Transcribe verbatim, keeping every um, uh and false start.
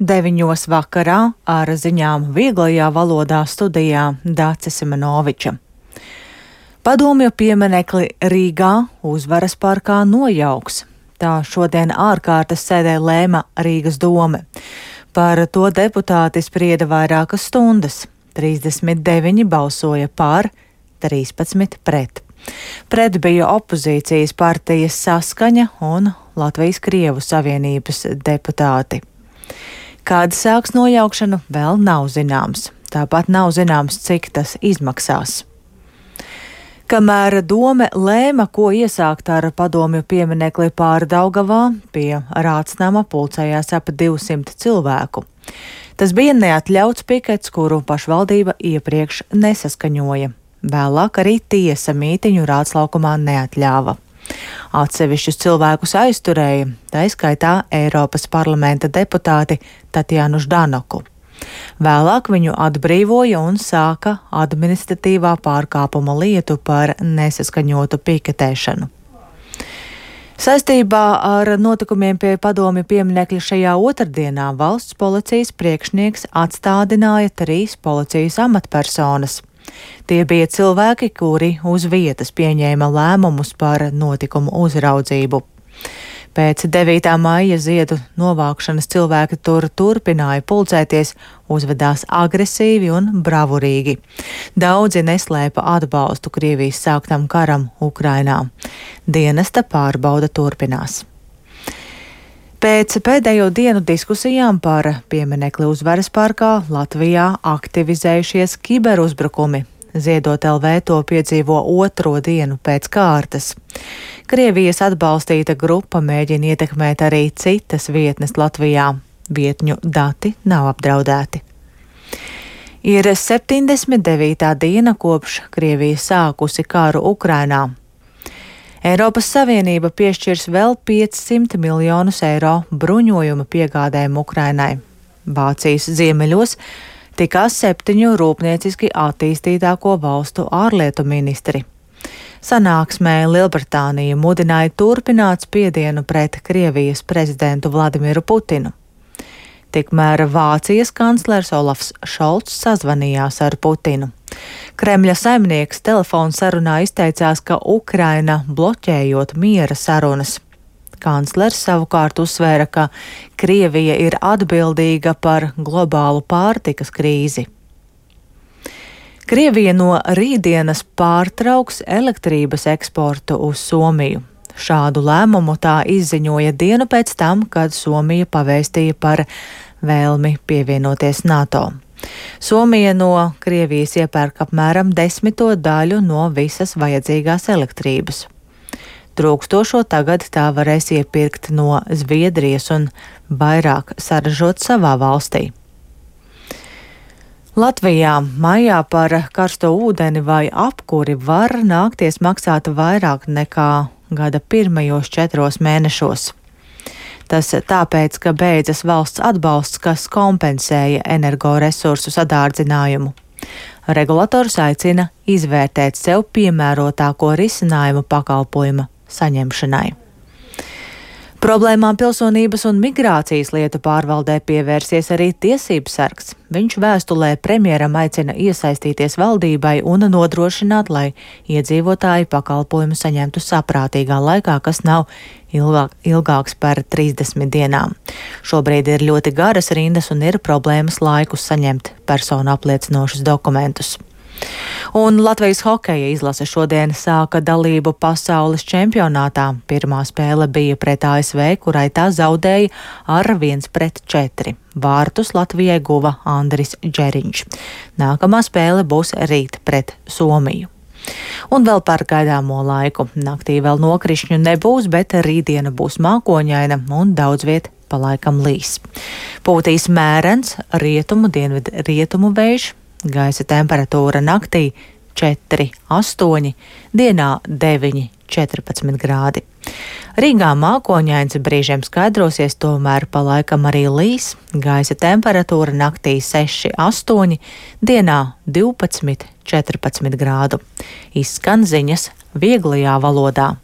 Deviņos vakarā ar ziņām vieglajā valodā studijā Dāce Simenoviča. Padomju pieminekli Rīgā Uzvaras parkā nojauks. Tā šodien ārkārtas sēdē lēma Rīgas dome. Par to deputāti sprieda vairākas stundas. trīsdesmit deviņi balsoja par, trīspadsmit pret. Pret bija opozīcijas partijas Saskaņa un Latvijas Krievu Savienības deputāti. Kāda sāks nojaukšanu, vēl nav zināms. Tāpat nav zināms, cik tas izmaksās. Kamēr dome lēma, ko iesākt ar padomju pieminekli Pārdaugavā, pie Rācnama pulcējās ap divsimt cilvēku. Tas bija neatļauts pikets, kuru pašvaldība iepriekš nesaskaņoja. Vēlāk arī tiesa mītiņu Rāclaukumā neatļāva. Atsevišķus cilvēkus aizturēja, tā skaitā Eiropas parlamenta deputāti Tatjanu Ždanoku. Vēlāk viņu atbrīvoja un sāka administratīvā pārkāpuma lietu par nesaskaņotu piketēšanu. Saistībā ar notikumiem pie padomju pieminekļa šajā otrdienā valsts policijas priekšnieks atstādināja trīs policijas amatpersonas. Tie bija cilvēki, kuri uz vietas pieņēma lēmumus par notikumu uzraudzību. Pēc devītā maija ziedu novākšanas cilvēki tur turpināja pulcēties, uzvedās agresīvi un bravurīgi. Daudzi neslēpa atbalstu Krievijas sāktam karam Ukrainā. Dienesta pārbauda turpinās. Pēc pēdējo dienu diskusijām par pieminekli Uzvaras parkā Latvijā aktivizējušies kiberuzbrukumi. Ziedot L V to piedzīvo otro dienu pēc kārtas. Krievijas atbalstīta grupa mēģina ietekmēt arī citas vietnes Latvijā. Vietņu dati nav apdraudēti. Ir septiņdesmit devītā diena kopš Krievija sākusi karu Ukrainā. Eiropas Savienība piešķirs vēl piecsimt miljonus eiro bruņojuma piegādēm Ukrainai. Vācijas ziemeļos tikās septiņu rūpnieciski attīstītāko valstu ārlietu ministri. Sanāksmē Lielbritānija mudināja turpināt spiedienu pret Krievijas prezidentu Vladimiru Putinu. Tikmēr Vācijas kanclers Olafs Šolts sazvanījās ar Putinu. Kremļa saimnieks telefonu sarunā izteicās, ka Ukraina bloķējot miera sarunas. Kanclers savukārt uzsvēra, ka Krievija ir atbildīga par globālu pārtikas krīzi. Krievija no rītdienas pārtrauks elektrības eksportu uz Somiju. Šādu lēmumu tā izziņoja dienu pēc tam, kad Somija pavēstīja par vēlmi pievienoties NATO. Somija no Krievijas iepērk apmēram desmito daļu no visas vajadzīgās elektrības. Trūkstošo tagad tā varēs iepirkt no Zviedrijas un vairāk saražot savā valstī. Latvijā maijā par karsto ūdeni vai apkuri var nākties maksāt vairāk nekā gada pirmajos četros mēnešos. Tas tāpēc, ka beidzas valsts atbalsts, kas kompensēja energoresursu sadārdzinājumu. Regulators aicina izvērtēt sev piemērotāko risinājumu pakalpojuma saņemšanai. Problēmām pilsonības un migrācijas lietu pārvaldē pievērsies arī tiesības sargs. Viņš vēstulē premjeram aicina iesaistīties valdībai un nodrošināt, lai iedzīvotāji pakalpojumu saņemtu saprātīgā laikā, kas nav ilgāk, ilgāks par trīsdesmit dienām. Šobrīd ir ļoti garas rindas un ir problēmas laikus saņemt personu apliecinošus dokumentus. Un Latvijas hokeja izlase šodien sāka dalību pasaules čempionātā. Pirmā spēle bija pret A S V, kurai tā zaudēja ar viens pret četri. Vārtus Latvijai guva Andris Džeriņš. Nākamā spēle būs rīt pret Somiju. Un vēl par gaidāmo laiku. Naktī vēl nokrišņu nebūs, bet rītdiena būs mākoņaina un daudz viet pa laikam līs. Pūtīs mērens rietumu dienvidu rietumu vējš. Gaisa temperatūra naktī četri, astoņi, dienā deviņi, četrpadsmit grādi. Rīgā mākoņains brīžiem skaidrosies, tomēr pa laikam arī līs. Gaisa temperatūra naktī seši, astoņi, dienā divpadsmit, četrpadsmit grādu. Izskan ziņas vieglajā valodā.